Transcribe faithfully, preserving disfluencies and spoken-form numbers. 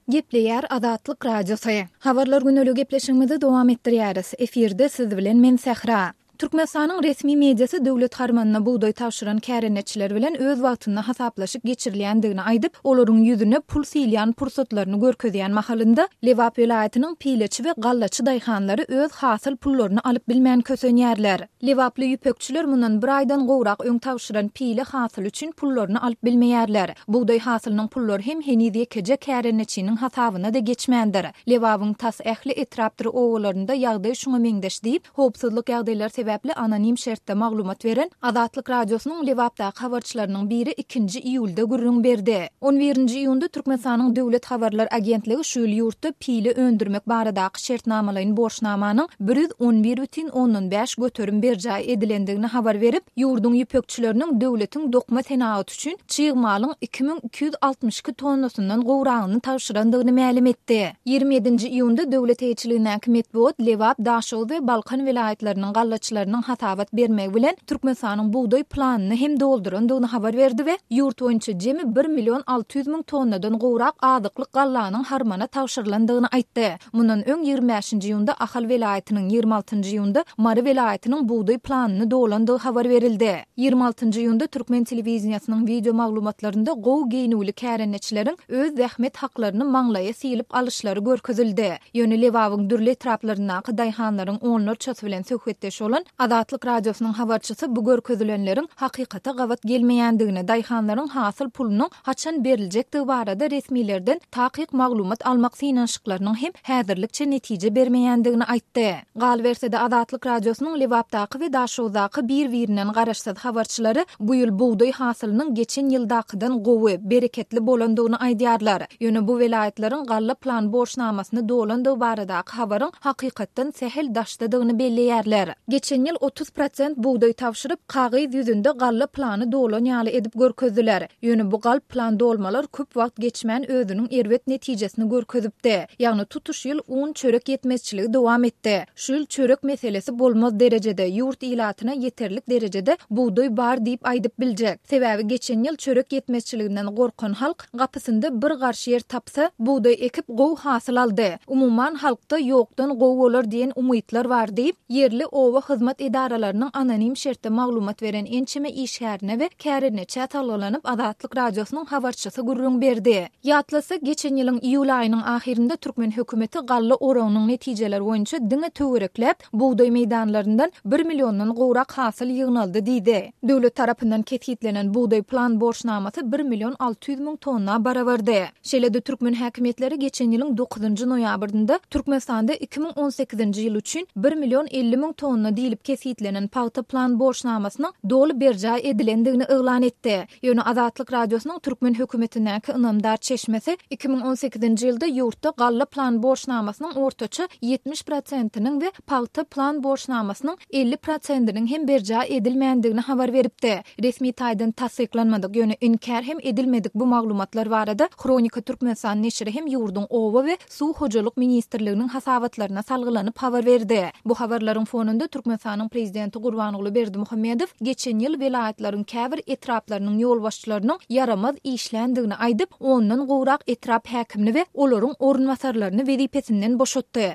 Gepleýär Azatlyk Radiosy. Habarlar güneli gepleşigimizi dowam etdirýäris. Efirde siz bilen men Sähra. Türkmenistanyň resmi mediasy döwlet harmanyna bugdaý tabşyran kärendeçiler bilen öz wagtynda hasaplaşyk geçirilýändigini aýdyp, olaryň ýüzüne pul silýän pursatlaryny görkezýän mahalynda Lebap welaýatynyň pileçi we gallaçy daýhanlary öz hasyl pullaryny alyp bilmän kösenýärler. Lebaply ýüpekçiler mundan bir aýdan gowrak öň tabşyran pile hasyly üçin pullaryny alyp bilmeýärler. Bugdaý hasylynyň pullary hem heniz ýekeje kärendeçiniň hasabyna-da geçmändir. Lebabyň tas ähli etrapdyr obalarynda ýagdaý şuňa meňzeş diýip, howpsuzlyk ýagdaýlary sebäpli anonim şertde maglumat beren Azatlyk Radiosynyň Lebapdaky habarçylarynyň biri ikinji iýulda gürrüň berdi. On birinji iýunda Türkmenistanyň Döwlet habarlar agentligi şu ýyl ýurtda pile öndürmek baradaky şertnamalaýyn borçnamanyň bir ýüz on bir bütin ondan bäş göterim berjaý edilendigini habar berip, ýurduň ýüpekçileriniň döwletiň dokma senagaty üçin çig malyň iki müň iki ýüz altmyş iki tonnasyndan gowragyny tabşyrandygyny mälim etdi. Ýigrimi ýedinji iýunda döwlet eýeçiligindäki metbugat Lebap, Daşoguz we Balkan welaýatlarynyň gallaçylarynyň hasabat bermegi bilen Türkmenistanyň bugdaý planyny hem doldurandygyny habar berdi we ýurt boýunça jemi bir million alty ýüz müň tonnadan gowrak azyklyk gallanyň harmana tabşyrylandygyny aýtdy. Mundan öň ýigrimi bäşinji iýunda Ahal welaýatynyň, ýigrimi altynjy iýunda Mary welaýatynyň bugdaý planyny dolandygy habar berildi. Ýigrimi altynjy iýunda türkmen telewideniýesiniň wideo maglumatlarynda gowy geýnüwli kärendeçileriň öz zähmet haklaryny maňlaýa sylyp alyşlary görkezildi. Ýöne Lebabyň dürli etraplaryndaky daýhanlaryň onlarçasy bilen söhbetdeş bolan Azatlyk Radiosynyň habarçysy bu görkezilenleriň hakykata gabat gelmeýändigini, daýhanlaryň hasyl pulunyň haçan beriljekdigi barada resmilerden takyk maglumat almak synanyşyklarynyň hem häzirlikçe netije bermeýändigini aýtdy. Galyberse-de, Azatlyk Radiosynyň Lebapdaky we Daşoguzdaky bir-birinden garaşsyz habarçylary bu ýyl bugdaý hasylynyň geçen ýyldakydan gowy, bereketli bolandygyny aýdýarlar. Ýöne bu welaýatlaryň galla plan borçnamasyny dolandygy baradaky habaryň hakykatdan sähel daşdadygyny belleýärler. Geçen ýyl otuz prosent bugdaý tabşyryp, kagyz ýüzünde galla plany dolan ýaly edip görkezdiler. Ýöne bu galp plan dolmalar köp wagt geçmän özüniň erbet netijesini görkezipdi. Ýagny tutuş ýyl un çörek ýetmezçiligi dowam etdi. Şu ýyl çörek meselesi bolmaz derejede, ýurt ilatyna ýeterlik derejede bugdaý bar diýip aýdyp biljek. Sebäbi geçen ýyl çörek ýetmezçiliginden gorkan halk gapysynda bir garş ýer tapsa, bugdaý ekip gowy hasyl aldy. Umuman halkda ýokdan gowy bolar diýen umytlar bar diýip, ýerli oba hyzmat edaralarynyň anonim şertde maglumat beren ençeme işgärine we kärendeçä salgylanyp Azatlyk Radiosynyň habarçysy gürrüň berdi. Ýatlasak, geçen ýylyň iýul aýynyň ahyrynda türkmen hökümeti galla oragynyň netijeleri boýunça diňe töwerekläp bugdaý meýdanlaryndan bir milliondan gowrak hasyl ýygnaldy diýdi. Döwlet tarapyndan kesgitlenen bugdaý plan borçnamasy bir million alty ýüz müň tonna barabardy. Şeýle-de türkmen häkimiýetleri geçen ýylyň dokuzynjy noýabrynda Türkmenistanda iki müň on sekizinji ýyl üçin bir million elli müň tonna diýlip kesgitlenen pagta plan borçnamasynyň doly berjaý edilendigini yglan etdi. Ýöne Azatlyk Radiosynyň türkmen hökümetindäki ynamdar çeşmesi iki müň on sekizinji ýylda ýurtda galla plan borçnamasynyň ortaça ýetmiş prosentiniň we pagta plan borçnamasynyň elli prosentiniň hem berjaý edilmändigini habar beripdi. Resmi taýdan tassyklanmadyk, ýöne inkär hem edilmedik bu maglumatlar barada Hronika Türkmenistan neşiri hem ýurduň Oba we suw hojalyk ministrliginiň hasabatlaryna salgylanyp habar berdi. Bu habarlaryň fonunda Türkmenistanyň Prezidenti Gurbanguly Berdimuhamedow geçen ýyl welaýatlaryň käbir etraplarynyň ýolbaşçylarynyň ýaramaz işländigini aýdyp, ondan gowrak etrap häkimini we olaryň orunbasarlaryny wezipesinden boşatdy.